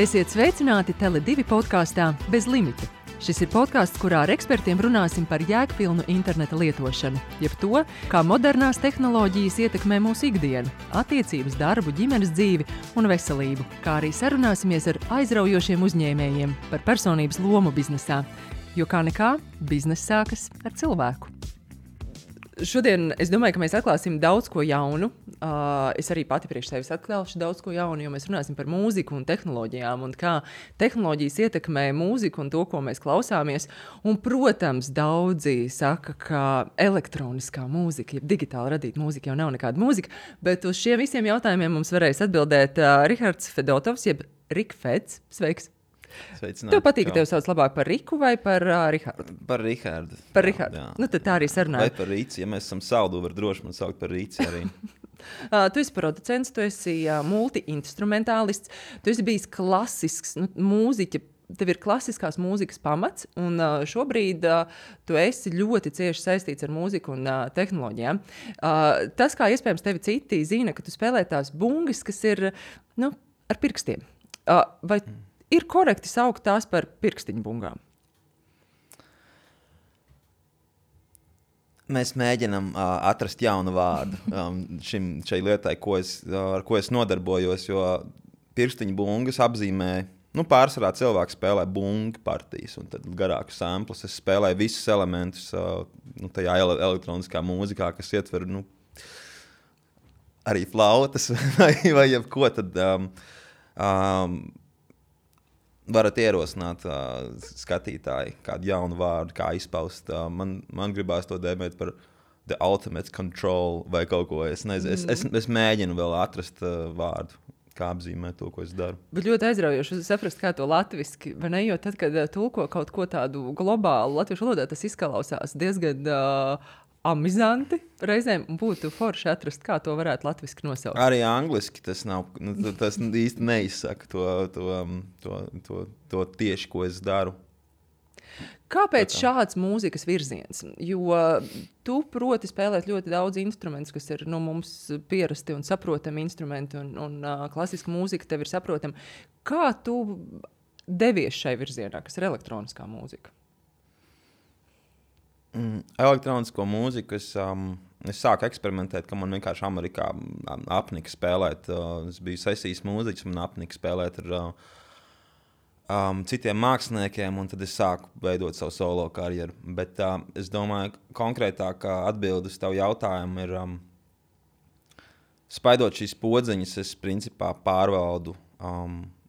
Esiet sveicināti Tele2 podkāstā Bez limita. Šis ir podkāsts, kurā ar ekspertiem runāsim par jēgpilnu interneta lietošanu, jeb to, kā modernās tehnoloģijas ietekmē mūsu ikdienu, attiecības, darbu, ģimenes dzīvi un veselību, kā arī sarunāsimies ar aizraujošiem uzņēmējiem par personības lomu biznesā, jo kā nekā, bizness sākas ar cilvēku. Šodien es domāju, ka mēs atklāsim daudz ko jaunu. Es arī pati priekš sevis atklāšu daudz ko jaunu, jo mēs runāsim par mūziku un tehnoloģijām un kā tehnoloģijas ietekmē mūziku un to, ko mēs klausāmies. Un, protams, daudzi saka, ka elektroniskā mūzika, ja digitāli radīta mūzika jau nav nekāda mūzika, bet uz šiem visiem jautājumiem mums varēs atbildēt Rihards Fedotovs, jeb Rik Feds. Sveiks! Sveicināti. Tev patīk, ka tev sauc labāk par Riku vai par Rihardu? Par Rihardu. Par Rihardu. Nu, tad tā arī sarunājam. Vai par Rīci, ja mēs esam saldu, var droši man saukt par Rīci arī. Tu esi producents, tu esi multi-instrumentālists, tu esi bijis klasisks mūziķa, tev ir klasiskās mūzikas pamats, un šobrīd tu esi ļoti cieši saistīts ar mūziku un tehnoloģijām. Tas, kā iespējams tevi citi zina, ka tu spēlē tās bungas, kas ir ar pirkstiem. Vai ir korekti saukt tās par pirkstiņu bungām? Mēs mēģinām atrast jaunu vārdu šai lietai, ar ko es nodarbojos, jo pirkstiņu bungas apzīmē, pārsvarā cilvēki spēlē bungu partijas, un tad garākus samplus. Es spēlēju visus elementus tajā elektroniskā mūzikā, kas ietver arī flautas vai jebko, tad varat ierosināt skatītāji kādu jaunu vārdu, kā izpaust. Man gribās to dēmēt par the ultimate control vai kaut ko. Es mēģinu vēl atrast vārdu, kā apzīmēt to, ko es daru. Bet ļoti aizraujoši saprast, kā to latviski, vai ne? Jo tad, kad tulko kaut ko tādu globālu latviešu valodā, tas izklausās diezgan amizanti reizēm, būtu forši atrast, kā to varētu latviski nosaukt. Arī angliski tas nav, tas īsti neizsaka to tieši, ko es daru. Kāpēc šāds mūzikas virziens? Jo tu proti spēlēt ļoti daudz instrumentus, kas ir mums pierasti un saprotami instrumenti, un klasiska mūzika tev ir saprotama. Kā tu devies šai virzienā, kas ir elektroniskā mūzika? Elektronisko mūziku es sāku eksperimentēt, ka man vienkārši Amerikā apnika spēlēt. Es biju sesijas mūziķis, man apnika spēlēt ar citiem māksliniekiem, un tad es sāku veidot savu solo karjeru. Bet es domāju, konkrētāk atbildi uz tavu jautājumu ir, spaidot šīs podziņas, es principā pārvaldu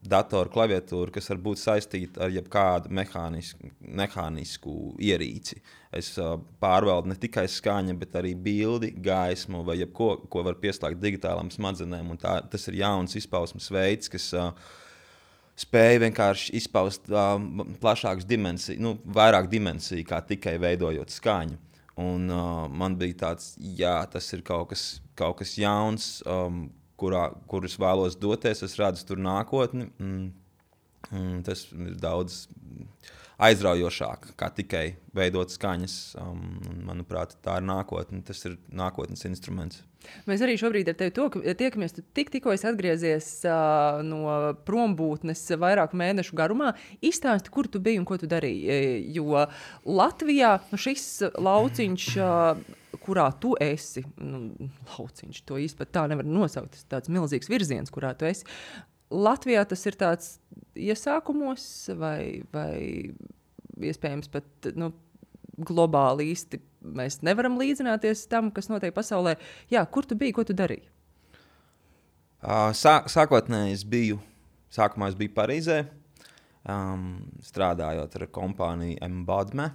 datoru klaviatūru, kas var būt saistīta ar jebkādu mehānisku ierīci. Es pārvaldu ne tikai skaņa, bet arī bildi, gaismu vai jebko, ko var pieslēgt digitālām smadzenēm. Un tas ir jauns izpausmes veids, kas spēja vienkārši izpaust plašākas dimensijas, vairāk dimensiju, kā tikai veidojot skaņu. Un man bija tāds, tas ir kaut kas jauns, kurus vēlos doties, es redzu tur nākotni. Tas ir daudz aizraujošāk, kā tikai veidot skaņas. Manuprāt, tā ir nākotne, tas ir nākotnes instruments. Mēs arī šobrīd ar tevi tiekamies. Tu tikko esi atgriezies no prombūtnes vairāku mēnešu garumā. Izstāsti, kur tu biji un ko tu darīji. Jo Latvijā šis lauciņš, kurā tu esi, lauciņš, to īsti pat tā nevar nosaukt, tas tāds milzīgs virziens, kurā tu esi. Latvijā tas ir tāds iesākumos vai iespējams pat globāli īsti mēs nevaram līdzināties tam, kas notiek pasaulē. Jā, kur tu biji, ko tu darīji? Sākotnēji sākumā es biju Parīzē, strādājot ar kompāniju Embodme.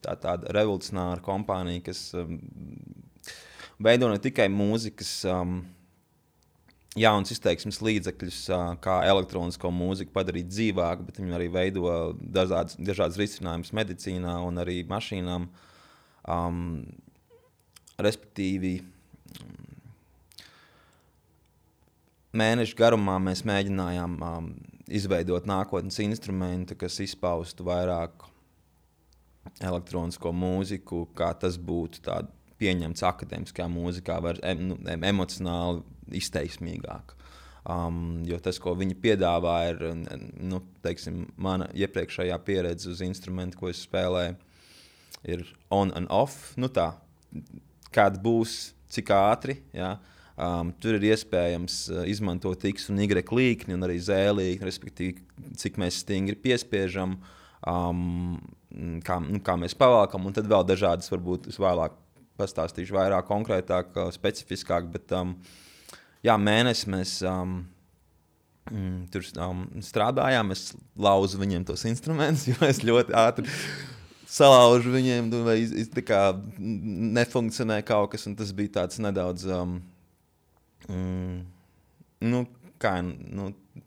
Tā tāda revolucionāra kompānija, kas veido ne tikai mūzikas jauns izteiksmes līdzekļus, kā elektronisko mūziku padarīt dzīvāku, bet viņi arī veido dažādas risinājumus medicīnā un arī mašīnām. Respektīvi, mēnešu garumā mēs mēģinājām izveidot nākotnes instrumentu, kas izpaustu vairāk elektronisko mūziku, kā tas būtu tāda pieņemts akadēmiskā mūzikā, var emocionāli izteiksmīgāk. Jo tas, ko viņi piedāvā, ir nu, teiksim, mana iepriekšējā pieredze uz instrumentu, ko es spēlēju, ir on and off. Nu tā, kāda būs, cik ātri. Ja? Tur ir iespējams izmantot X un Y līkni un arī Z līkni, respektīvi, cik mēs stingri piespiežam, kā mēs pavalkam, un tad vēl dažādas, varbūt es vēlāk pastāstīšu vairāk konkrētāk, specifiskāk, bet mēnesi mēs tur strādājām, es lauzu viņiem tos instrumentus, jo es ļoti ātri salaužu viņiem, vai tā kā nefunkcionē kaut kas, un tas bija tāds nedaudz,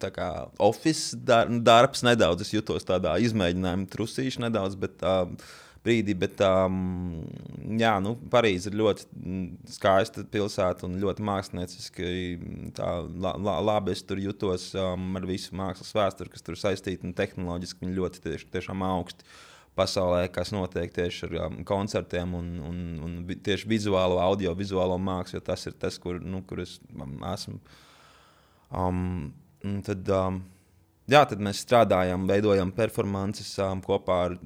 tā kā office darbs nedaudz, es jutos tādā izmēģinājuma trusīši nedaudz, bet brīdī, bet Parīze ir ļoti skaista pilsēta un ļoti mākslinieciski labi es tur jutos ar visu mākslas vēsturi, kas tur saistīta un tehnoloģiski viņi ļoti tiešām augsti pasaulē, kas notiek tieši ar koncertiem un tieši vizuālo, audio-vizuālo mākslu, jo tas ir tas, kur es esmu. Tad mēs strādājam, veidojam performances kopā ar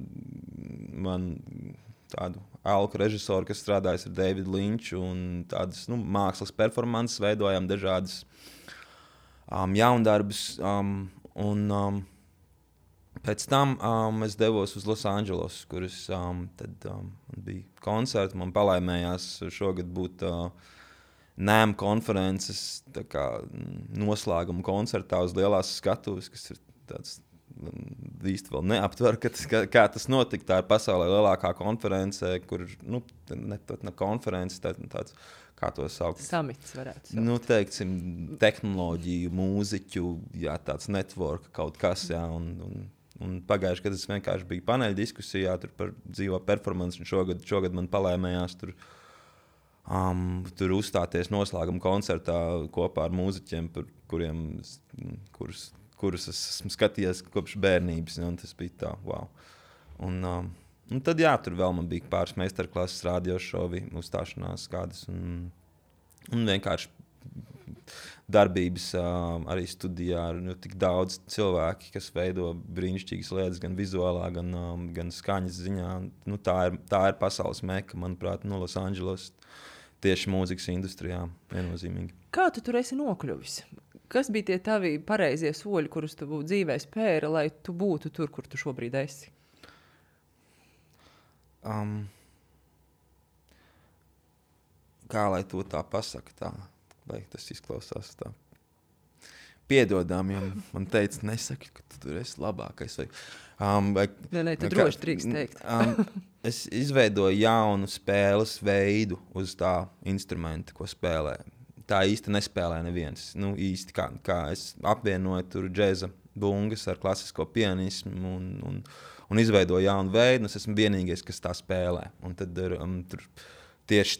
tādu alku režisoru, kas strādājas ar Davidu Linču un tādas mākslas performances, veidojam dažādas jaundarbus. Pēc tam es devos uz Losandželosu, kur bija koncerti. Man palaimējās šogad būt NAMM konferences noslēguma koncertā uz lielās skatuves, kas ir tāds īsti vēl neaptver, kā tas notika. Tā ir pasaulē lielākā konference, kur ne konference, tāds, kā to saukt? Samits varētu saukt. Teiksim, tehnoloģiju, mūziķu, tāds network kaut kas, un pagājuši, kad es vienkārši biju paneļa diskusijā tur par dzīvo performance, un šogad man palaimējās tur uzstāties noslēguma koncertā kopā ar mūziķiem, kurus es esmu skatījies kopš bērnības, un tas bija tā, wow. Un tad, tur vēl man bija pāris meistarklases, radiošovi, uzstāšanās kādas, un vienkārši darbības arī studijā ar tik daudz cilvēki, kas veido brīnišķīgas lietas, gan vizuālā, gan skaņas ziņā. Tā ir pasaules meka, manuprāt, Losandželos, tieši mūzikas industrijā viennozīmīgi. Kā tu tur esi nokļuvis? Kas bija tie tavi pareizie soļi, kurus tu dzīvē spēri, lai tu būtu tur, kur tu šobrīd esi? Kā lai to tā pasaka tā? Vai tas izklausās tā? Piedodām, jo man teica, nesaki, ka tu tur esi labākais. Nē, tu droši drīkst teikt. Es izveidoju jaunu spēles veidu uz tā instrumenta, ko spēlē. Tā īsti nespēlē neviens. Īsti kā es apvienoju tur džeza bungas ar klasisko pianismu un izveidoju jaunu veidu, un es esmu vienīgais, kas tā spēlē. Un tad tur tieši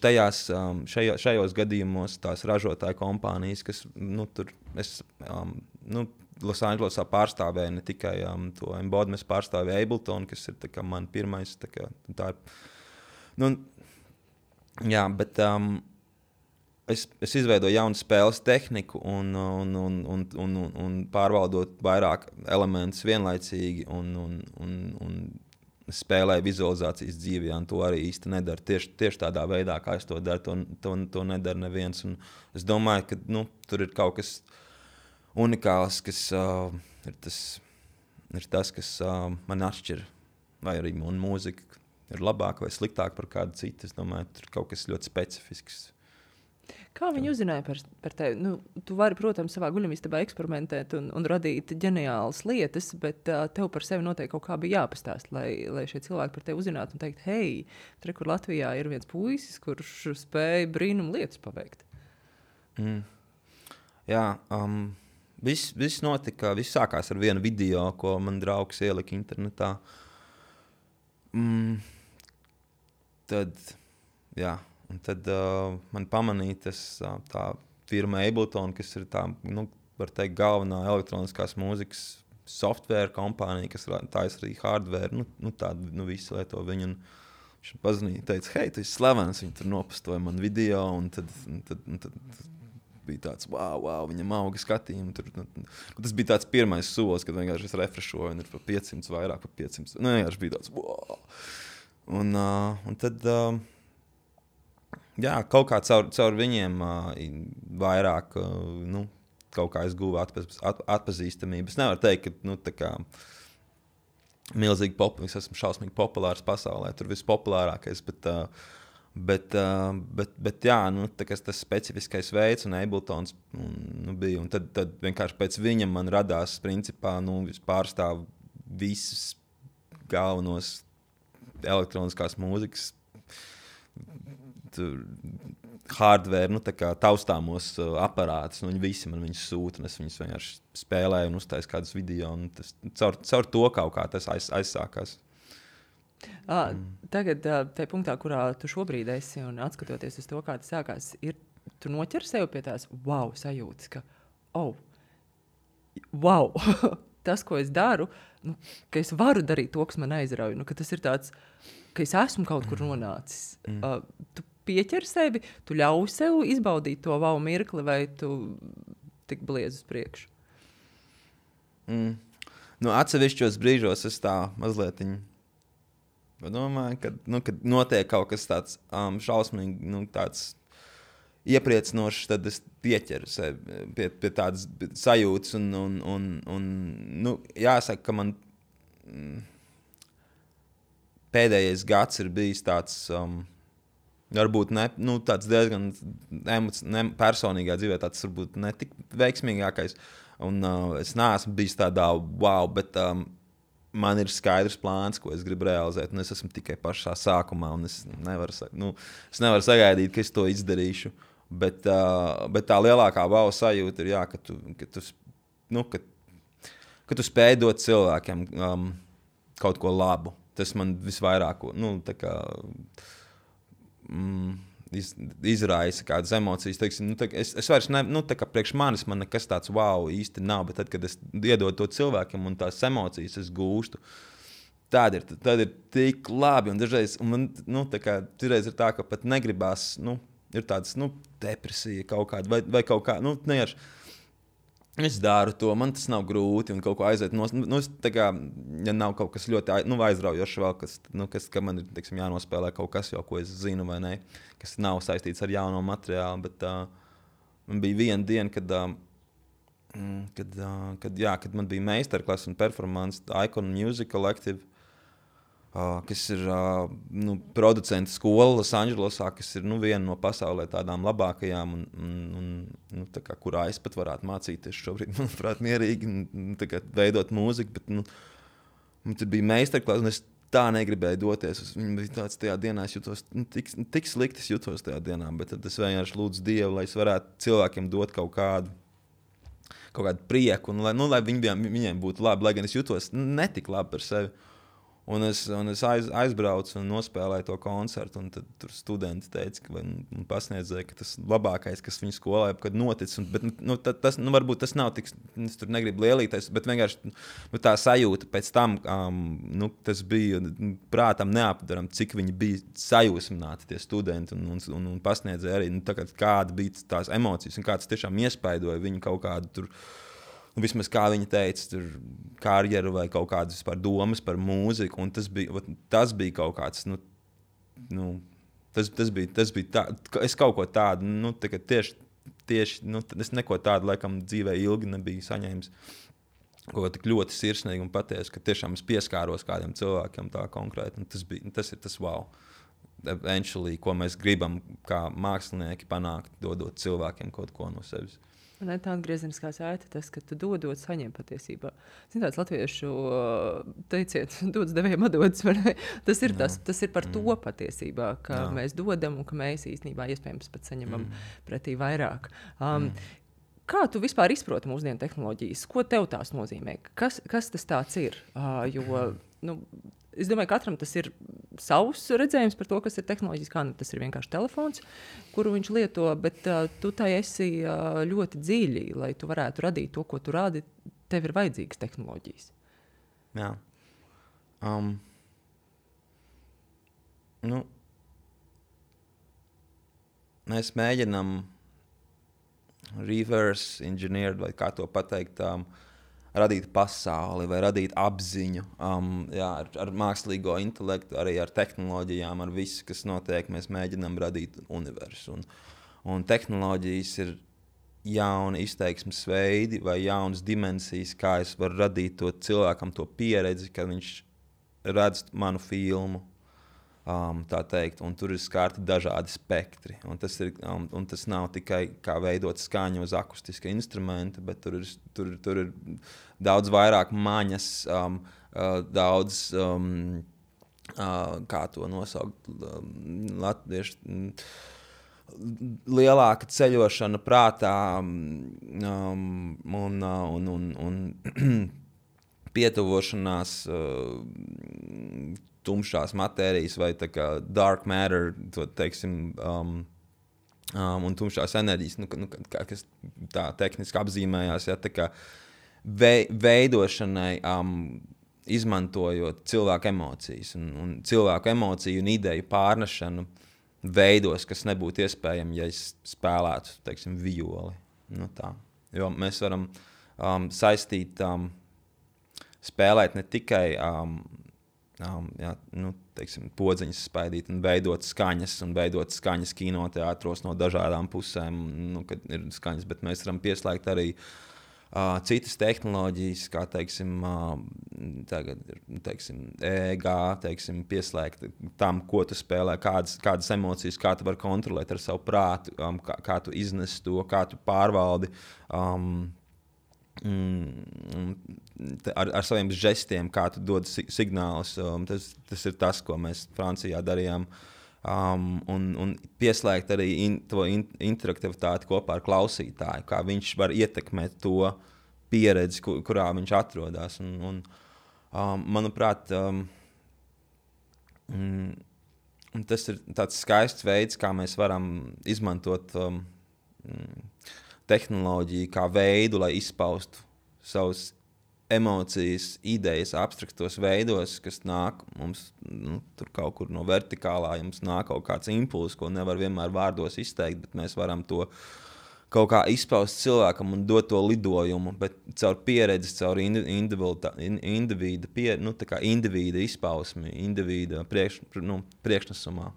šajos gadījumos tās ražotāju kompānijas, kas tur es Losandželosā pārstāvēju ne tikai to embodiment, es pārstāvēju Ableton, kas ir man pirmais. Tā ir, bet es izveidoju jaunu spēles tehniku un pārvaldot vairāk elementus vienlaicīgi un spēlēju vizualizācijas dzīvē, un to arī īsti nedara. Tieši tādā veidā, kā es to daru, to nedara neviens. Un es domāju, ka tur ir kaut kas unikāls, kas ir tas, kas man atšķir, vai arī man mūzika ir labāka vai sliktāka par kādu citu. Es domāju, tur ir kaut kas ļoti specifisks. Kā viņi uzzināja par tevi? Tu vari, protams, savā guļamistabā eksperimentēt un radīt ģeniālas lietas, bet tev par sevi noteikti kaut kā bija jāpastāst, lai šie cilvēki par tevi uzzinātu un teikt, hei, tur, kur Latvijā ir viens puisis, kurš spēja brīnumu lietas paveikt. Viss notika, viss sākās ar vienu video, ko man draugs ielika internetā. Tad man pamanīja tā firma Ableton, kas ir tā, var teikt, galvenā elektroniskās mūzikas software kompānija, kas taisa arī hardware, visi lieto viņu. Viņš pazvanīja, teica, hei, tu esi slavens, viņi tur nopostoja man video, un tad bija tāds, wow, viņam auga skatījumi. Tas bija tāds pirmais solis, kad vienkārši es refrešoju, un ir par 500 vairāk, par 500. Nu, vienkārši bija tāds, wow. Un tad, jā, kaut kā caur viņiem vairāk, kaut kā es guvu atpazīstamību. Es nevaru teikt, ka, tā kā milzīgi es esmu šausmīgi populārs pasaulē, tur vispopulārākais, bet jā, tas specifiskais veids un Abletons bija, un tad vienkārši pēc viņa man radās, principā, pārstāv visus galvenos elektroniskās mūzikas hardware, tā kā taustāmos aparātus, viņi visi man viņus sūta, un es viņus vienkārši spēlēju un uztaisu kādus video, un tas caur to kaut kā tas aizsākās. Tagad, tajā punktā, kurā tu šobrīd esi, un atskatoties uz to, kā tas sākās, tu noķer sev pie tās wow sajūtas, ka, wow, tas, ko es daru, ka es varu darīt to, kas man aizrauj, ka tas ir tāds, ka es esmu kaut kur nonācis. Tu pieķer sevi, tu ļauj sev izbaudīt to wow mirkli, vai tu tik bliez uz priekšu? Atsevišķos brīžos es tā mazliet domāju, kad notiek kaut kas tāds šausmīgi, tāds iepriecinošs, tad es pieķeru sevi pie tādas sajūtas, un jāsaka, ka man pēdējais gads ir bijis tāds, varbūt tāds diezgan personīgā dzīvē, tāds varbūt ne tik veiksmīgākais, un es neesmu bijis tādā wow, bet man ir skaidrs plāns, ko es gribu realizēt, un es esmu tikai pašā sākumā, un es nevaru sagaidīt, ka es to izdarīšu, bet tā lielākā wow sajūta ir, jā, ka tu spēj dot cilvēkiem kaut ko labu. Tas man visvairāk izraisa kādas emocijas. Teiksim, es vairs priekš manis man nekas tāds wow īsti nav, bet tad, kad es iedodu to cilvēkam un tās emocijas es gūstu, tad ir tik labi. Un dažreiz man dažreiz ir tā, ka pat negribās, ir tāds depresija kaut kāda vai kaut kā, neieši. Es daru to, man tas nav grūti un kaut ko aiziet. Ja nav kaut kas ļoti aizraujošs vēl, ka man ir jānospēlē kaut kas, jau, ko es zinu vai ne, kas nav saistīts ar jauno materiālu. Bet man bija viena diena, kad man bija meistarklase un performance Icon Music Collective, kas ir producentu skola Losandželosā, kas ir viena no pasaulē tādām labākajām, kurā es pat varētu mācīties šobrīd, manuprāt, mierīgi veidot mūziku, bet man tur bija meistarklase, un es tā negribēju doties. Viņa bija tāds, tajā dienā es jutos, tik slikti es jutos tajā dienā, bet tad es vienkārši lūdzu Dievu, lai es varētu cilvēkiem dot kaut kādu prieku, un lai viņiem būtu labi, lai gan es jutos netik labi par sevi. Un es aizbraucu un nospēlēju to koncertu, un tad tur studenti teica, un pasniedzēja, ka tas labākais, kas viņu skolā jebkad noticis. Bet varbūt tas nav tik, es tur negribu lielīties, bet vienkārši tā sajūta pēc tam, tas bija prātam neapdaram, cik viņi bija sajūsmināti tie studenti un pasniedzēja arī, kāda bija tās emocijas un kā tas tiešām iespaidoja viņu kaut kādu tur. Vismaz kā viņa teica, tur karjeru vai kaut kādas vispār domas par mūziku, un tas bija kaut kāds, tas bija tā, es kaut ko tādu, tieši, es neko tādu, laikam, dzīvē ilgi nebiju saņēmis, kaut ko tik ļoti sirsnīgi un patiesu, ka tiešām es pieskāros kādiem cilvēkiem tā konkrēti, un tas ir tas wow, eventually, ko mēs gribam kā mākslinieki panākt, dodot cilvēkiem kaut ko no sevis. Un tā atgriezeniskā saite, tas, ka tu dodot, saņem patiesībā. Zin tāds latviešu teiciet, dots devējiem atdodas, tas ir par to patiesībā, ka mēs dodam un ka mēs īstenībā iespējams pat saņemam pretī vairāk. Kā tu vispār izproti mūsdienu tehnoloģijas? Ko tev tās nozīmē? Kas tas tāds ir? Es domāju, katram tas ir savs redzējums par to, kas ir tehnoloģijas, kā tas ir vienkārši telefons, kuru viņš lieto, bet tu tai esi ļoti dziļi, lai tu varētu radīt to, ko tu rādi, tev ir vajadzīgas tehnoloģijas. Jā. Mēs mēģinam reverse engineered, vai kā to pateikt, radīt pasauli vai radīt apziņu ar mākslīgo intelektu, arī ar tehnoloģijām, ar visu, kas notiek. Mēs mēģinām radīt universu. Un tehnoloģijas ir jauni izteiksmes veidi vai jaunas dimensijas, kā es varu radīt to cilvēkam to pieredzi, kad viņš redz manu filmu. Tā teikt, un tur ir skarti dažādi spektri. Un tas nav tikai kā veidot skaņu uz akustiska instrumenta, bet tur ir daudz vairāk maņas, daudz, kā to nosaukt, latviešu, lielāka ceļošana prātā un pietuvošanās tumšās matērijas vai tā kā dark matter, to teiksim, un tumšās enerģijas, kas tā tehniski apzīmējās, tā kā veidošanai, izmantojot cilvēku emocijas un cilvēku emociju un ideju pārnešanu veidos, kas nebūtu iespējami, ja es spēlētu, teiksim, violi. Tā. Jo mēs varam saistīt, spēlēt ne tikai teiksim, podziņas spaidīt un veidot skaņas kinoteātros no dažādām pusēm, kad ir skaņas, bet mēs varam pieslēgt arī citas tehnoloģijas, kā teiksim, tagad ir, teiksim, EEG, teiksim, pieslēgt tam, ko tu spēlē, kādas emocijas, kā tu vari kontrolēt ar savu prātu, kā tu iznes to, kā tu pārvaldi ar saviem žestiem, kā tu dod signālus. Tas ir tas, ko mēs Francijā darījām. Un pieslēgt arī to interaktivitāti kopā ar klausītāju, kā viņš var ietekmēt to pieredzi, kurā viņš atrodas. Manuprāt, tas ir tāds skaists veids, kā mēs varam izmantot tehnoloģiju kā veidu, lai izpaustu savas emocijas, idejas abstraktos veidos, kas nāk mums tur kaut kur no vertikālā, ja mums nāk kaut kāds impulss, ko nevar vienmēr vārdos izteikt, bet mēs varam to kaut kā izpaust cilvēkam un dot to lidojumu, bet caur pieredzi, caur individa izpausmi, individa priekšnesumā.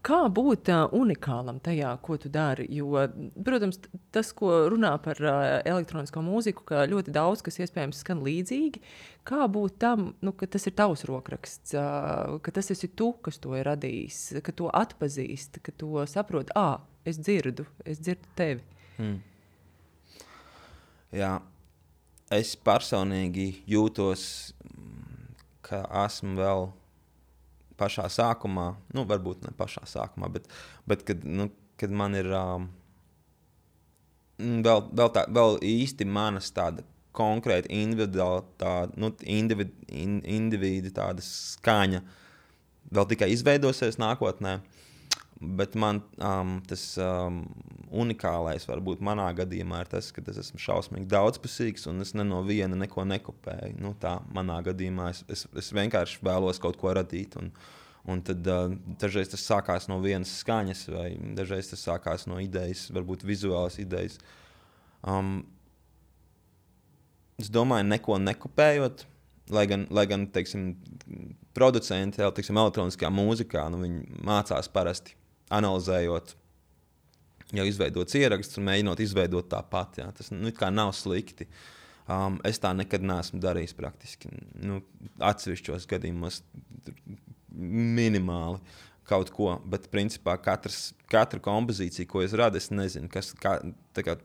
Kā būt unikālam tajā, ko tu dari? Jo, protams, tas, ko runā par elektronisko mūziku, ka ļoti daudz, kas iespējams skan līdzīgi, kā būt tam, ka tas ir tavs rokraksts, ka tas esi tu, kas to ir radījis, ka to atpazīst, ka to saprot, es dzirdu tevi. Jā, es personīgi jūtos, ka esmu vēl pašā sākumā, varbūt ne pašā sākumā, bet kad man ir vēl īsti manas tāda konkrēta individu tāda skaņa vēl tikai izveidosies nākotnē, bet man tas unikālais varbūt manā gadījumā ir tas, ka es esmu šausmīgi daudzpusīgs un es no viena neko nekopēju. Tā manā gadījumā es vienkārši vēlos kaut ko radīt un tad dažreiz tas sākās no vienas skaņas vai dažreiz tas sākās no idejas, varbūt vizuālas idejas. Es domāju, neko nekopējot, lai gan teiksim, producenti teiksim, elektroniskajā mūzikā, viņi mācās parasti analizējot jau izveidots ieraksts un mēģinot izveidot tāpat. Jā. Tas kā nav slikti. Es tā nekad neesmu darījis praktiski. Atsevišķos gadījumos minimāli kaut ko, bet principā katra kompozīcija, ko es radu, es nezinu, kā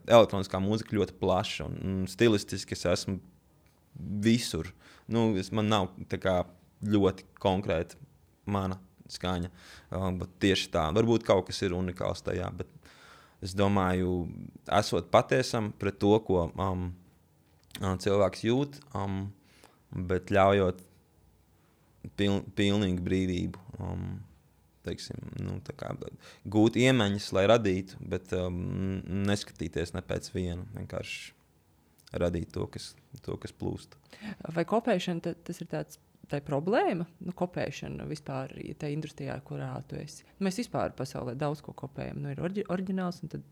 elektroniskā mūzika ļoti plaša un stilistiski es esmu visur. Man nav ļoti konkrēta mana skaņa, bet tieši tā. Varbūt kaut kas ir unikāls tajā, bet es domāju, esot patiesam pret to, ko cilvēks jūt, bet ļaujot pilnīgu brīvību, teiksim, gūt iemaņas, lai radītu, bet neskatīties ne pēc viena, vienkārši radīt to, kas plūst. Vai kopēšana tas ir tā problēma? Kopēšana vispār tā industrijā, kurā tu esi. Mēs vispār pasaulē daudz ko kopējam. Ir oriģināls un tad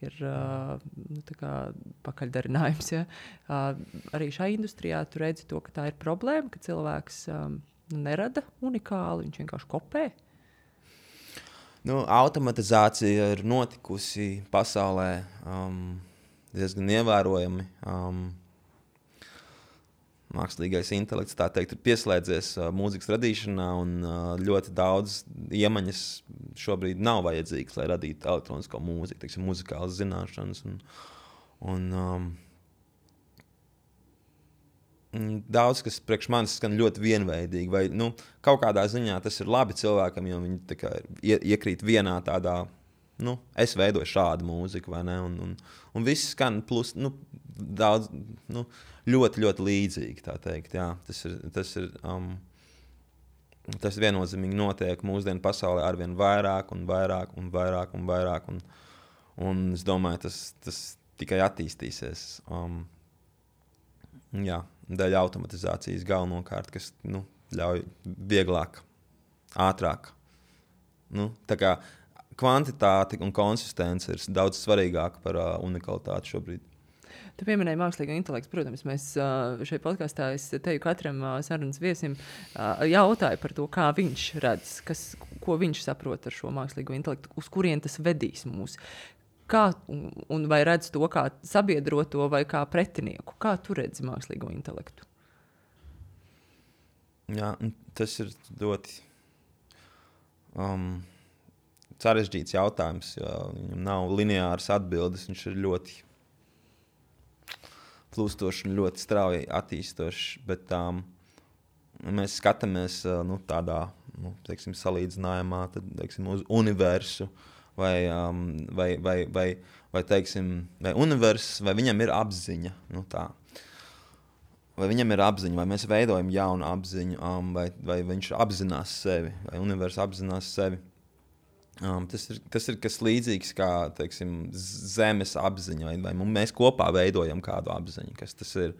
ir tā kā pakaļdarinājums. Ja? Arī šajā industrijā tu redzi to, ka tā ir problēma, ka cilvēks nerada unikāli, viņš vienkārši kopē. Automatizācija ir notikusi pasaulē diezgan ievērojami. Mākslīgais intelekts, tā teikt, ir pieslēdzies mūzikas radīšanā, un ļoti daudz iemaņas šobrīd nav vajadzīgas, lai radītu elektronisko mūziku, teiksim, muzikālas zināšanas. Daudz, kas priekš manis skan ļoti vienveidīgi, vai kaut kādā ziņā tas ir labi cilvēkam, jo viņi tā kā iekrīt vienā tādā, es veidoju šādu mūziku, vai ne, un viss skan plus, daudz, ļoti, ļoti līdzīgi, tā teikt, jā. Tas viennozīmīgi notiek mūsdienu pasaulē arvien vairāk un vairāk un vairāk un vairāk, un es domāju, tas tikai attīstīsies. Jā, daļa automatizācijas galvenokārt, kas ļauj vieglāk, ātrāk. Tā kā kvantitāte un konsistence ir daudz svarīgāka par unikalitāti šobrīd. Tu pieminēji mākslīgo intelektu. Protams, mēs šajā podkastā teju katram sarunas viesim jautāju par to, kā viņš redz, ko viņš saprot ar šo mākslīgo intelektu, uz kurien tas vedīs mūs. Kā, un vai redz to kā sabiedroto vai kā pretinieku? Kā tu redzi mākslīgo intelektu? Jā, tas ir ļoti sarežģīts jautājums, jo viņam nav lineāras atbildes, viņš ir ļoti plūstošs un ļoti strauji attīstošs, bet mēs skatāmies tādā, teiksim, salīdzinājumā, tad, teiksim, uz universu, vai teiksim, vai universs, vai viņam ir apziņa, tā. Vai viņam ir apziņa, vai mēs veidojam jaunu apziņu, vai viņš apzinās sevi, vai universs apzinās sevi. Tas ir kas līdzīgs kā, teiksim, zemes apziņa, vai mēs kopā veidojam kādu apziņu, kas tas ir.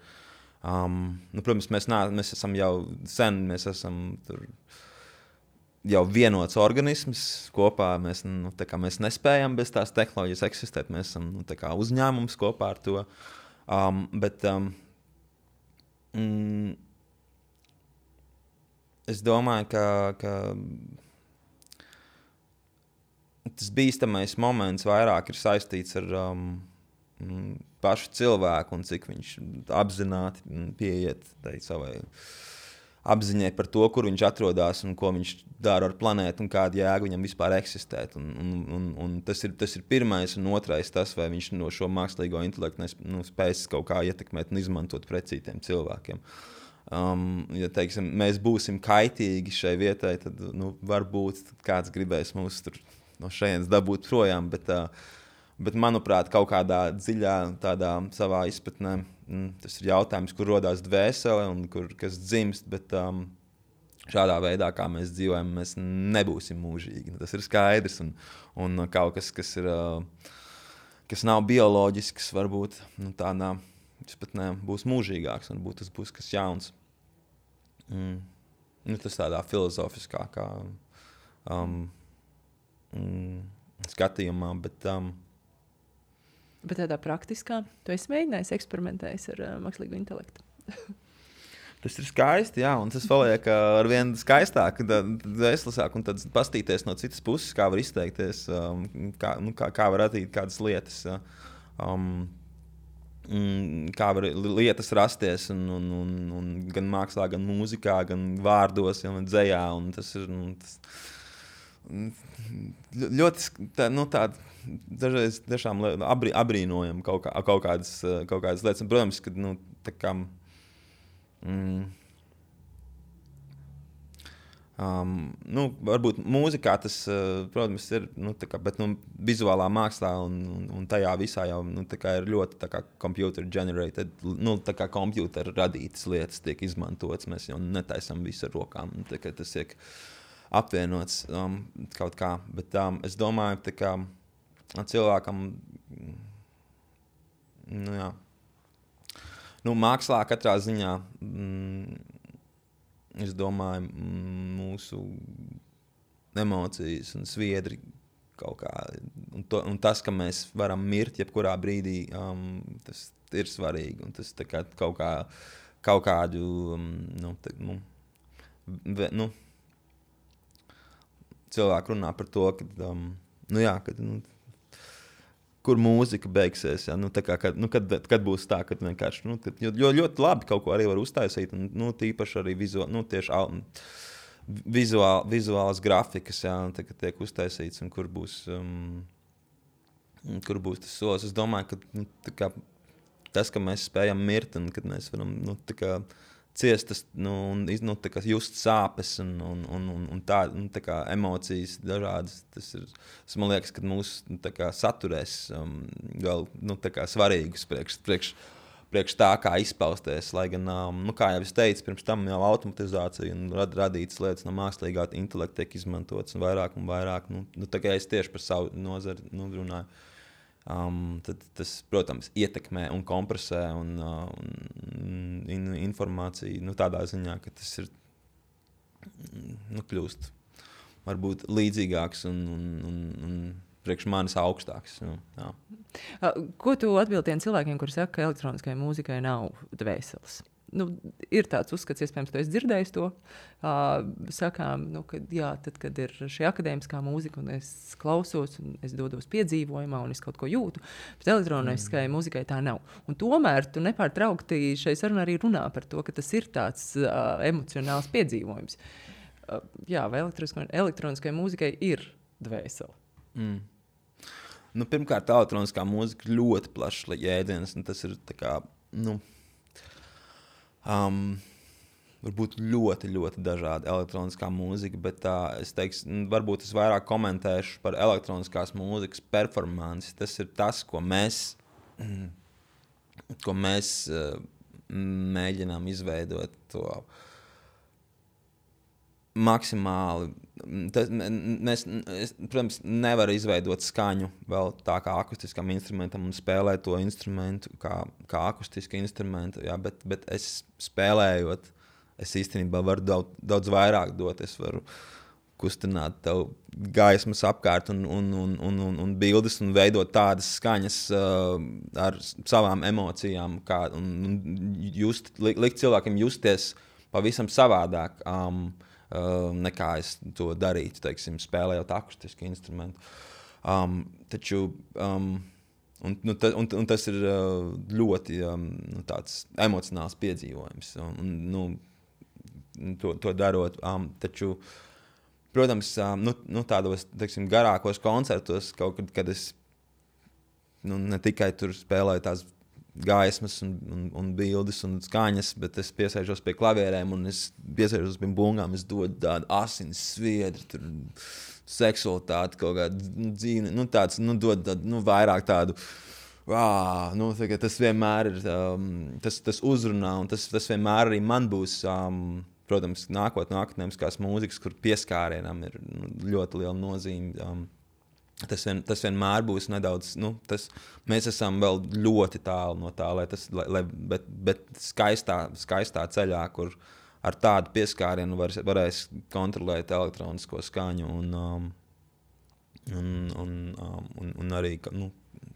Protams, mēs esam jau sen, mēs esam tur jau vienots organisms kopā, mēs nespējam bez tās tehnoloģijas eksistēt, mēs esam uzņēmums kopā ar to, bet es domāju, ka tas bīstamais moments vairāk ir saistīts ar pašu cilvēku un cik viņš apzināti pieiet savai apziņai par to, kur viņš atrodas un ko viņš dara ar planētu un kādu jēgu viņam vispār eksistēt. Un tas ir pirmais un otrais tas, vai viņš no šo mākslīgo intelektu spēs kaut kā ietekmēt un izmantot pret citiem cilvēkiem. Ja, teiksim, mēs būsim kaitīgi šai vietai, tad varbūt kāds gribēs mūs tur no šejienes dabūt projām, bet manuprāt, kaut kādā dziļā tādā savā izpratnē tas ir jautājums, kur rodās dvēsele un kas dzimst, bet šādā veidā, kā mēs dzīvojam, mēs nebūsim mūžīgi. Tas ir skaidrs, un kaut kas, kas nav bioloģisks, varbūt tādā izpratnē būs mūžīgāks, varbūt tas būs kas jauns. Tas tādā filozofiskākā skatījumā, Bet tādā praktiskā, tu esi mēģinājis eksperimentējis ar mākslīgo intelektu? Tas ir skaisti, jā, un tas paliek arvien skaistāk, vēslasāk, un tad pastīties no citas puses, kā var izteikties, kā var radīt kādas lietas, kā var lietas rasties, un gan mākslā, gan mūzikā, gan vārdos, gan dzejā, un tas ir ļoti tāda dažreiz tiešām abrīnojam kaut kādas lietas. Un, protams, ka tā kā varbūt mūzikā tas, protams, ir, bet vizuālā mākslā un tajā visā jau ir ļoti computer generated, computer radītas lietas tiek izmantotas. Mēs jau netaisam visu ar rokām. Tas tiek apvienots kaut kā. Bet es domāju, ka cilvēkam, mākslā katrā ziņā, es domāju, mūsu emocijas un sviedri kaut kā, un tas, ka mēs varam mirt jebkurā brīdī, tas ir svarīgi, un tas tā kā kaut kādu, cilvēku runā par to, ka, kur mūzika beigsies, ja? Kad būs tā, kad vienkārši, jo ļoti labi kaut ko arī var uztaisīt, un tīpaši arī vizuālas grafikas, ja? Kad tiek uztaisīts, un kur būs tas solis. Es domāju, ka tas, ka mēs spējam mirt, un kad mēs varam, ciest, un just sāpes un tā kā emocijas dažādas. Tas man liekas, ka mūs saturēs vēl svarīgus priekš tā, kā izpausties. Lai gan, kā jau es teicu, pirms tam jau automatizācija un radītas lietas no mākslīgā intelekta tiek izmantotas un vairāk. Tā kā es tieši par savu nozari runāju. Tad tas, protams, ietekmē un kompresē un informāciju tādā ziņā, ka tas ir kļūst varbūt līdzīgāks un priekš manis augstāks. Jā. Ko tu atbildi tiem cilvēkiem, kuri saka, ka elektroniskai mūzikai nav dvēseles? Ir tāds uzskats, iespējams, tu esi dzirdējis to. Sakām, ka jā, tad, kad ir šī akadēmiskā mūzika, un es klausos, un es dodos piedzīvojumā, un es kaut ko jūtu, bet elektroniskai mūzikai tā nav. Un tomēr tu nepārtraukti šai sarunā arī runā par to, ka tas ir tāds emocionāls piedzīvojums. Jā, vai elektroniskai mūzikai ir dvēsele? Pirmkārt, elektroniskā mūzika ļoti plašs jēdziens, un tas ir tā kā, varbūt ļoti, ļoti dažāda elektroniskā mūzika, bet es teikšu, varbūt es vairāk komentēšu par elektroniskās mūzikas performanci. Tas ir tas, ko mēs mēģinām izveidot to maksimāli. Protams, nevar izveidot skaņu vēl tā kā akustiskam instrumentam un spēlēt to instrumentu kā akustisku instrumentu, jā, bet es spēlējot, es īstenībā varu daudz vairāk dot. Es varu kustināt tev gaismas apkārt un bildes un veidot tādas skaņas ar savām emocijām, un likt cilvēkiem justies pavisam savādāk. Nekā es to darītu, teiksim, spēlējot akustisku instrumentu. Taču tas ir ļoti tāds emocionāls piedzīvojums. To darot. Taču, protams, tādos, teiksim, garākos koncertos, kaut kad es ne tikai tur spēlēju tās gaismas un bildes un skaņas, bet es piesēžos pie klavierēm un es piesēžos pie bungām, es dodu tādu asins sviedri, tur seksualitāti, kaut kādu dzīvi, tāds, dod tādu, vairāk tādu, tas vienmēr ir, tas uzrunā, un tas vienmēr arī man būs, protams, nākotnē akadēmiskās mūzikas, kur pieskārienam ir ļoti liela nozīme. Tas vienmēr būs nedaudz, mēs esam vēl ļoti tālu no tā, bet skaistā ceļā, kur ar tādu pieskārienu varēs kontrolēt elektronisko skaņu un arī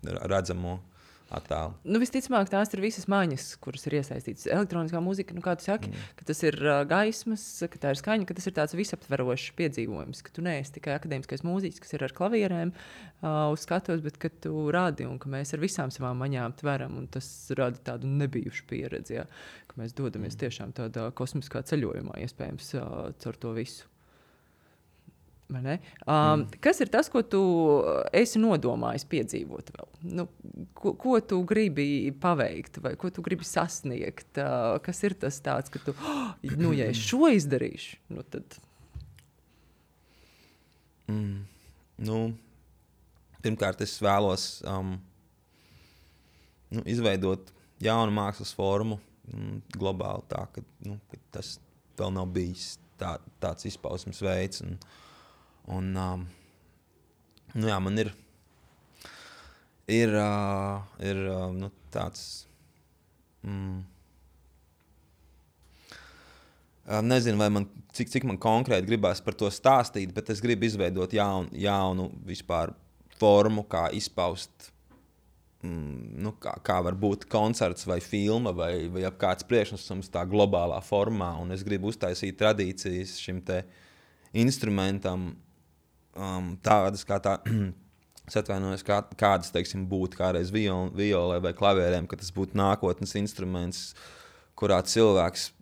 redzamo attēlu. Visticamāk, tās ir visas maņas, kuras ir iesaistītas. Elektroniskā mūzika, kā tu saki, ka tas ir gaismas, ka tā ir skaņa, ka tas ir tāds visaptverošs piedzīvojums, ka tu neesi tikai akadēmiskais mūziķis, kas ir ar klavierēm uz skatuves, bet ka tu rādi un ka mēs ar visām savām maņām tveram, un tas rada tādu nebijušu pieredzi, jā, ka mēs dodamies tiešām tādā kosmiskā ceļojumā, iespējams, caur to visu. Kas ir tas, ko tu esi nodomājis piedzīvot vēl? Ko tu gribi paveikt vai ko tu gribi sasniegt? Kas ir tas tāds, ka tu, ja es šo izdarīšu, tad... Pirmkārt, es vēlos izveidot jaunu mākslas formu globāli tā, ka tas vēl nav bijis tāds izpausmes veids. Man ir tāds Nezinu, vai cik man konkrēti gribās par to stāstīt, bet es gribu izveidot jaunu vispār formu, kā izpaust, kā var būt koncerts vai filma vai kāds priekšnesums tā globālā formā. Un es gribu uztaisīt tradīcijas šim te instrumentam, tādas kā tā, es atvainojos, kādas, teiksim, būtu kādreiz violē vai klavierēm, ka tas būtu nākotnes instruments, kurā cilvēks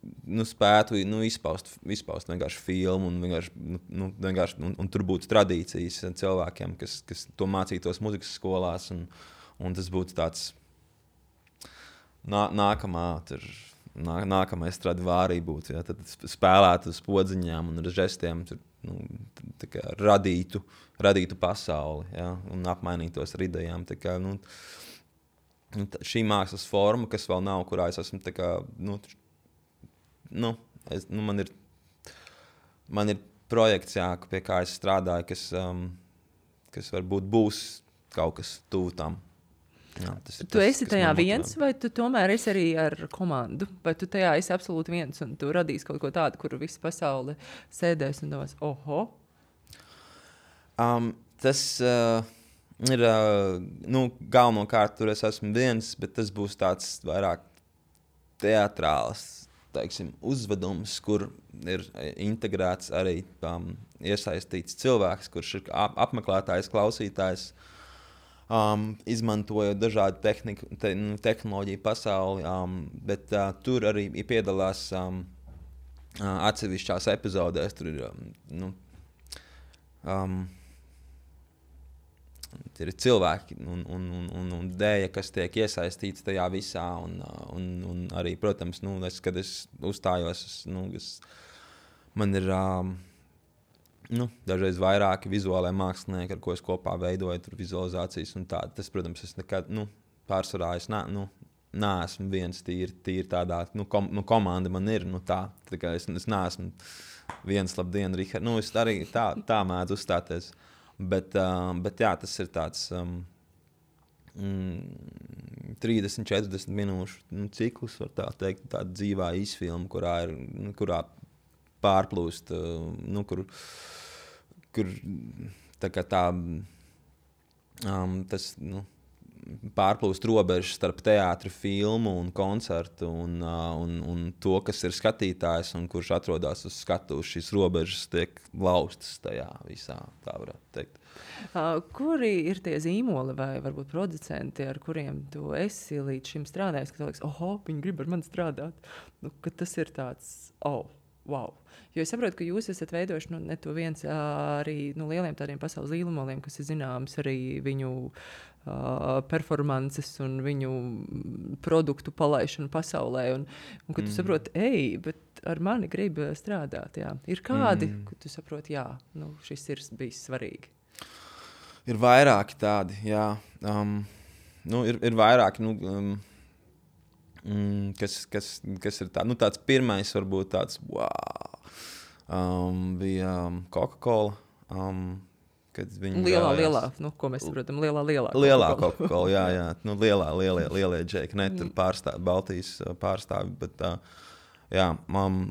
spētu izpaust vienkārši filmu vienkārši, un tur būtu tradīcijas cilvēkiem, kas to mācītos muzikas skolās, un tas būtu tāds nākamais Stradivāri būtu, ja, tad spēlētu uz podziņām un ar žestiem tur, radītu pasauli, ja, un apmainītos ar idejām. Tā kā, šī mākslas forma, kas vēl nav, kurā es esmu man ir projekts, jā, pie kā es strādāju, kas varbūt būs kaut kas tuvu tam. Jā, tu esi tajā viens, vai tu tomēr esi arī ar komandu? Vai tu tajā esi absolūti viens un tu radīsi kaut ko tādu, kur visa pasaule sēdēs un domās, oho? Tas... ir, galvenokārt tur es esmu viens, bet tas būs tāds vairāk teatrāls, teiksim, uzvedums, kur ir integrēts arī iesaistīts cilvēks, kurš ir apmeklētājs, klausītājs, izmantojot dažādu tehnoloģiju pasauli, bet tur arī piedalās atsevišķās epizodēs, tur ir, ir cilvēki un dēļa, kas tiek iesaistīts tajā visā. Un arī, protams, kad es uzstājos, man ir dažreiz vairāki vizuālai mākslinieki, ar ko es kopā veidoju tur vizualizācijas. Un tā, tas, protams, es nekad pārsvarā neesmu viens tīri tādā. Komanda man ir tā kā es neesmu viens labdien, Richard. Es arī tā mēdzu uzstāties. Bet jā, tas ir tāds 30-40 minūšu cikls, var tā teikt, tāda dzīvā īsfilma, kurā pārplūst, kur tā kā tas, pārplūst robežas starp teātri, filmu un koncertu un to, kas ir skatītājs un kurš atrodas uz skatuves, šīs robežas tiek laustas tajā visā, tā varētu teikt. Kuri ir tie zīmoli vai varbūt producenti, ar kuriem tu esi līdz šim strādājis, ka tu liekas, oho, viņi grib ar mani strādāt, ka tas ir tāds, wow. Jo es saprotu, ka jūs esat veidojuši ne to viens arī lieliem tādiem pasaules līlumoliem, kas ir zināms arī viņu performances un viņu produktu palaišanu pasaulē. Un ka tu saproti, bet ar mani grib strādāt. Jā. Ir kādi, ka tu saproti, jā, šis ir bijis svarīgi. Ir vairāki tādi, jā. Ir vairāki, kas ir tā, tāds pirmais varbūt tāds, wow. Bija Coca-Cola, kad viņi lielā, ko mēs saprotam, lielā Coca-Cola, jā, lielie džeki, ne tur Baltijas pārstāvi, bet jā,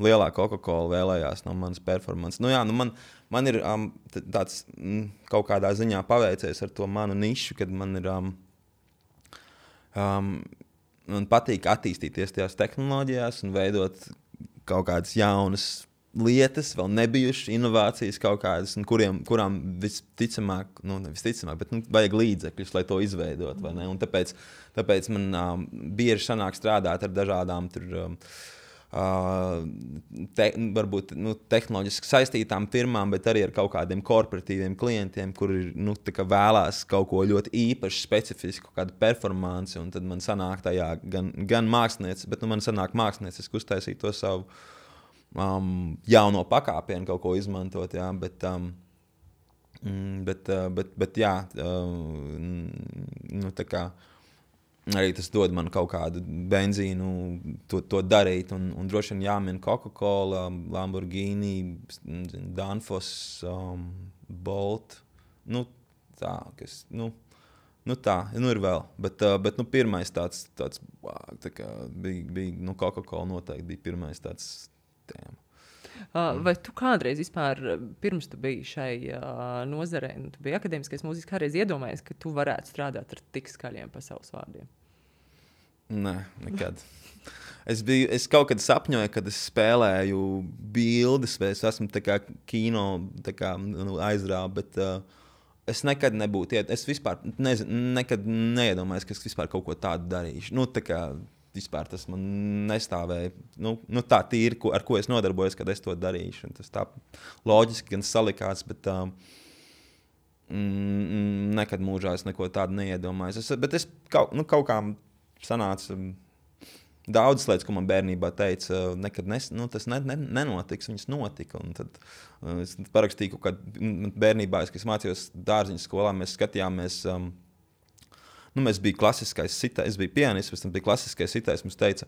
lielā Coca-Cola vēlējās no manas performances. Man ir tāds kaut kādā ziņā paveicies ar to manu nišu, kad man ir man patīk attīstīties tajās tehnoloģijās un veidot kaut kādas jaunas lietas, vēl nebijušas inovācijas kaut kādas, un kurām visticamāk, bet vajag līdzekļus, lai to izveidot, vai ne? Un tāpēc man bieži sanāk strādāt ar dažādām tur, varbūt tehnoloģiski saistītām firmām, bet arī ar kaut kādiem korporatīviem klientiem, kuri tā kā vēlās kaut ko ļoti īpaši, specifisku, kādu performanci, un tad man sanāk tajā gan mākslinieci, bet man sanāk mākslinieciski uztaisīt to savu jauno pakāpienu, kaut ko izmantot, jā, bet jā, tā kā arī tas dod man kaut kādu benzīnu to darīt, un droši vien jāmin Coca-Cola, Lamborghini, Danfoss, Bolt, tā, kas, tā, ir vēl, bet pirmais tāds wow, tā kā bija Coca-Cola noteikti bija pirmais tāds tēma. Vai tu kādreiz vispār, pirms tu biji šai nozarē, tu biji akadēmiskais mūzikas, kādreiz iedomājies, ka tu varētu strādāt ar tik skaļiem pasaules vārdiem? Nē, nekad. Es kaut kad sapņoju, kad es spēlēju bildes, vai es esmu tā kā kino aizrāva, bet es nekad nebūtu, es vispār nekad neiedomājos, ka es vispār kaut ko tādu darīšu. Nu, tā kā vispār tas man nestāvēja. Nu, tā tīri, ar ko es nodarbojos, kad es to darīšu. Un tas tā loģiski gan salikās, bet nekad mūžā es neko tādu neiedomājos. Bet es kaut kā sanāca daudzas lietas, ko man bērnībā teica, nekad tas nenotiks, viņas notika. Un tad es parakstīju kaut kādu bērnībā, kad es mācījos dārziņu skolā, mēs skatījāmies. Mēs bijām klasiskais sitais, es biju pianists, pēc tam bija klasiskais sitais. Mums teica,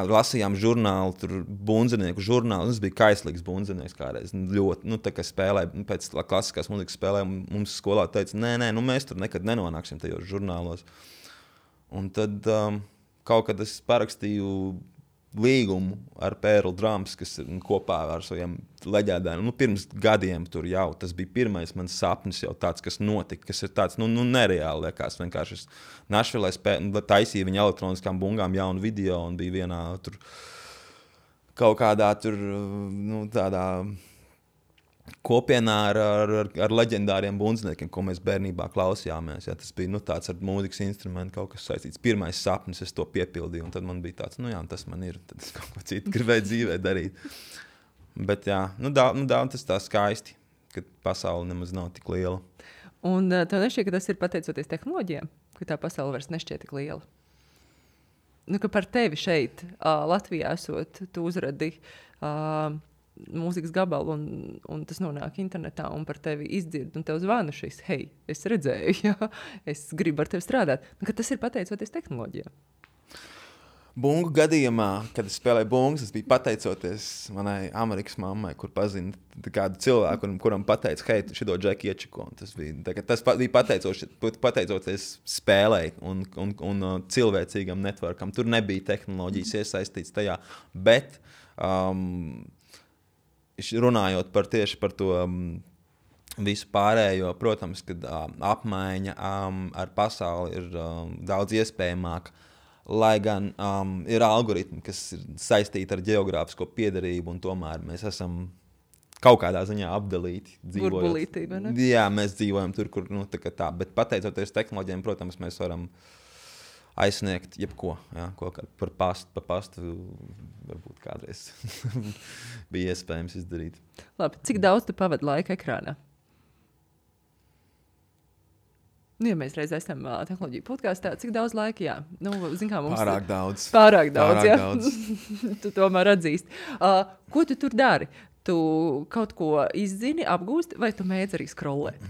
lasījām žurnālu, tur bundzinieku žurnālu. Es biju kaislīgs bundzinieks kādreiz. Ļoti, tā kā spēlēju, pēc klasiskās mūzikas spēlēm, mums skolā teica, nē, mēs tur nekad nenonāksim tajos žurnālos. Un tad kaut kad es parakstīju līgumu ar Pērlu Drums, kas ir kopā ar saviem leģendāriem. Pirms gadiem tur jau tas bija pirmais mans sapnis, jau tāds, kas notika, kas ir tāds nereāli. Liekas, vienkārši es Našvilē taisīju viņa elektroniskām bungām jaunu video un bija vienā tur kaut kādā tur, tādā kopienā ar leģendāriem bundzniekiem, ko mēs bērnībā klausījāmies. Ja, tas bija tāds ar mūzikas instrumentu, kaut kas saistīts. Pirmais sapnis, es to piepildīju, un tad man bija tāds, tas man ir, tad es kaut ko citu gribēju dzīvē darīt. Bet jā, tas tā skaisti, ka pasaule nemaz nav tik liela. Un tev nešķiet, ka tas ir pateicoties tehnoloģijām, ka tā pasaule vairs nešķiet tik liela? Ka par tevi šeit, Latvijā esot, tu uzradi mūzikas gabalu, un tas nonāk internetā, un par tevi izdzird, un tev zvana šis, hei, es redzēju, jā, es gribu ar tevi strādāt. Ka tas ir pateicoties tehnoloģijām. Bungu gadījumā, kad es spēlēju bungas, tas bija pateicoties manai Amerikas mammai, kur pazina kādu cilvēku, kuram pateica, hei, šito džeku iečiko. Tas bija pateicoties spēlei un cilvēcīgam networkam. Tur nebija tehnoloģijas iesaistīts tajā, bet runājot tieši par to visu pārējo, protams, kad apmaiņa ar pasauli ir daudz iespējamāka, lai gan ir algoritmi, kas ir saistīti ar geogrāfisko piederību, un tomēr mēs esam kaut kādā ziņā apdalīti. Burbulītība, ne? Jā, mēs dzīvojam tur, kur tā, bet pateicoties tehnoloģijām, protams, mēs varam aizsniegt jebko, ko pa pastu varbūt kādreiz bija iespējams izdarīt. Labi, cik daudz tu pavadi laika ekrānā? Ja mēs reiz esam tehnoloģiju podkāstā, cik daudz laika, jā? Mums Pārāk daudz. Pārāk daudz. Tu tomēr atzīst. Ko tu tur dari? Tu kaut ko izzini, apgūsti, vai tu mēdz arī scrollēt?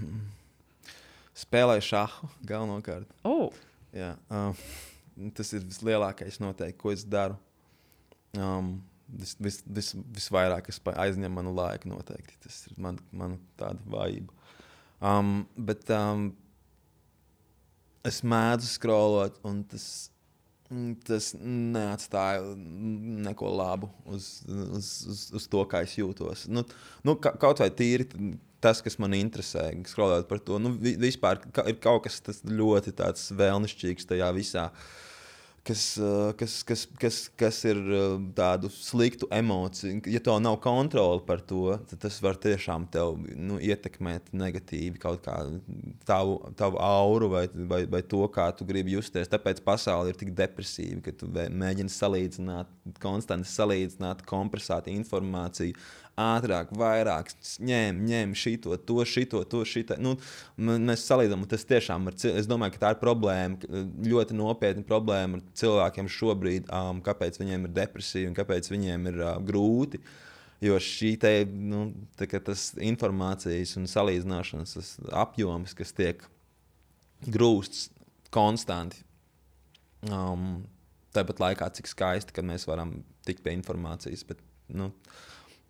Spēlēju šahu galvenokārt. Oh. Jā, tas ir vislielākais noteikti, ko es daru. Visvairāk es aizņem manu laiku noteikti. Tas ir man tāda vājība. Bet es mēdzu scrollot, un tas neatstāja neko labu uz to, kā es jūtos. Kaut vai tīri tas, kas man interesē, scrollēt par to. Vispār ir kaut kas ļoti tāds vēlnišķīgs tajā visā, kas ir tādu sliktu emociju. Ja tev nav kontrole par to, tad tas var tiešām tev ietekmēt negatīvi kaut kā tavu auru vai to, kā tu gribi justies. Tāpēc pasaule ir tik depresīva, ka tu mēģini konstanti salīdzināt, kompresēt informāciju, ātrāk, vairāk, ņem šito, to. Mēs salīdzinām, un tas tiešām es domāju, ka tā ir problēma, ļoti nopietna problēma ar cilvēkiem šobrīd, kāpēc viņiem ir depresija un kāpēc viņiem ir grūti. Jo šī tas informācijas un salīdzināšanas apjoms, kas tiek grūsts konstanti, tāpat laikā, cik skaisti, kad mēs varam tikt pie informācijas, bet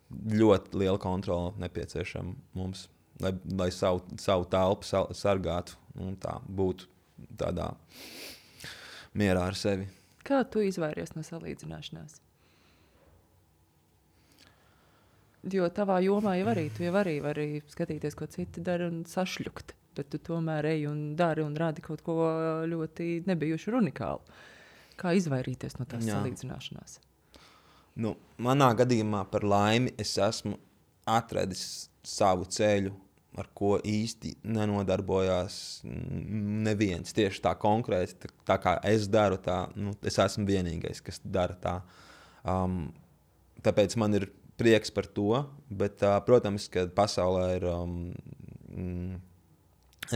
ļoti liela kontrole nepieciešama mums, lai savu telpu sargātu un tā būtu tādā mierā ar sevi. Kā tu izvairies no salīdzināšanās? Jo tavā jomā jau arī, tu jau arī vari skatīties, ko citi dara un sašļukt. Bet tu tomēr ej un dari un rādi kaut ko ļoti nebijušu un unikālu. Kā izvairīties no tās salīdzināšanās? Nu, manā gadījumā par laimi es esmu atradis savu ceļu, ar ko īsti nenodarbojās neviens. Tieši tā konkrēti, tā kā es daru tā, es esmu vienīgais, kas dara tā. Tāpēc man ir prieks par to, bet, protams, ka pasaulē ir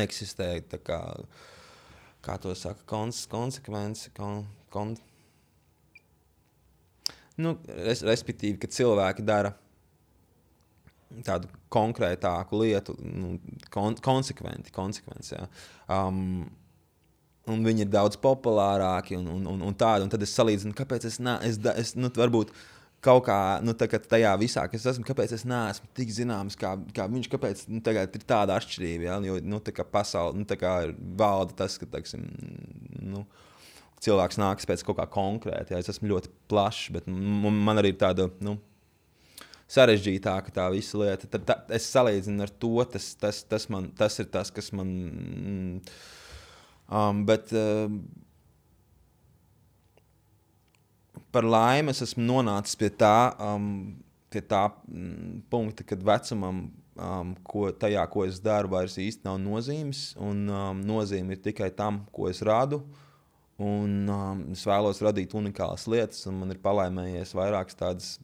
eksistē tā kā to saka, konsekvence, respektīvi, ka cilvēki dara tādu konkrētāku lietu, konsekventi, jā. Un viņi ir daudz populārāki un tādi, un tad es salīdzinu, kāpēc es varbūt kaut kā, tajā visā, kas esmu, kāpēc es neesmu tik zināms, kā viņš, kāpēc tagad ir tāda atšķirība, ja? Jo, tā kā pasauli, tā kā valda tas, ka, teiksim, cilvēks nāks pēc kaut kā konkrēta, ja? Es esmu ļoti plašs, bet man arī ir tāda, sarežģītāka tā visa lieta. Tad es salīdzinu ar to, tas ir tas, kas man, par laimi es esmu nonācis pie tā punkta, kad vecumam, ko es daru, vairs īsti nav nozīmes, un nozīme ir tikai tam, ko es radu, un es vēlos radīt unikālas lietas, un man ir palaimējies vairākas tādas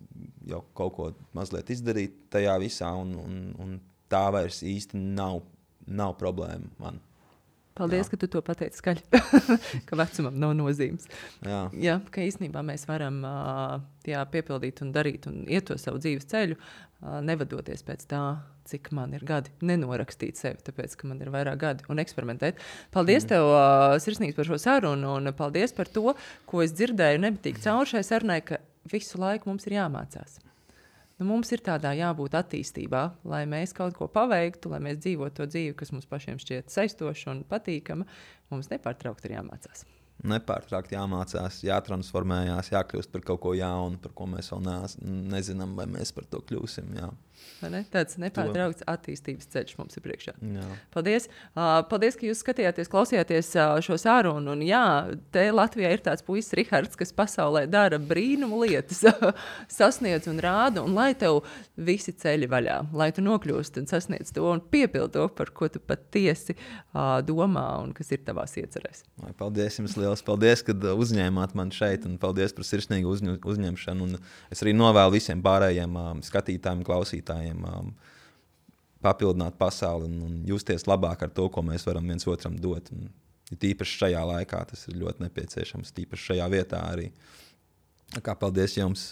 jau kaut ko mazliet izdarīt tajā visā, un tā vairs īsti nav problēma man. Paldies, ka tu to pateici skaļi, ka vecumam nav nozīmes. Jā, ka īstenībā mēs varam piepildīt un darīt un iet to savu dzīves ceļu, nevadoties pēc tā, cik man ir gadi, nenorakstīt sevi, tāpēc, ka man ir vairāk gadi un eksperimentēt. Paldies tev sirsnīgi par šo sarunu un paldies par to, ko es dzirdēju nebitīgi cauri šai sarunai, ka visu laiku mums ir jāmācās. Mums ir tādā jābūt attīstībā, lai mēs kaut ko paveiktu, lai mēs dzīvotu to dzīvi, kas mums pašiem šķiet saistoša un patīkama. Mums nepārtraukti ir jāmācās. Nepārtraukti jāmācās, jātransformējās, jākļūst par kaut ko jaunu, par ko mēs vēl nezinām, vai mēs par to kļūsim. Jā. Tāds nepārtraukts attīstības ceļš mums ir priekšā. Jā. Paldies! Paldies, ka jūs skatījāties, klausījāties šo sarunu. Un jā, te Latvijā ir tāds puisis Rihards, kas pasaulē dara brīnumu lietas, sasniedz un rāda, un lai tev visi ceļi vaļā, lai tu nokļūst un sasniedz to un piepildi to, par ko tu patiesi domā un kas ir tavās iecerēs. Paldies jums liels! Paldies, ka uzņēmāt mani šeit, un paldies par sirsnīgu uzņemšanu. Un es arī novēlu visiem pārējiem skatītājiem, klausītājiem papildināt pasauli un justies labāk ar to, ko mēs varam viens otram dot. Un tīpaši šajā laikā tas ir ļoti nepieciešams, tīpaši šajā vietā arī. Paldies jums!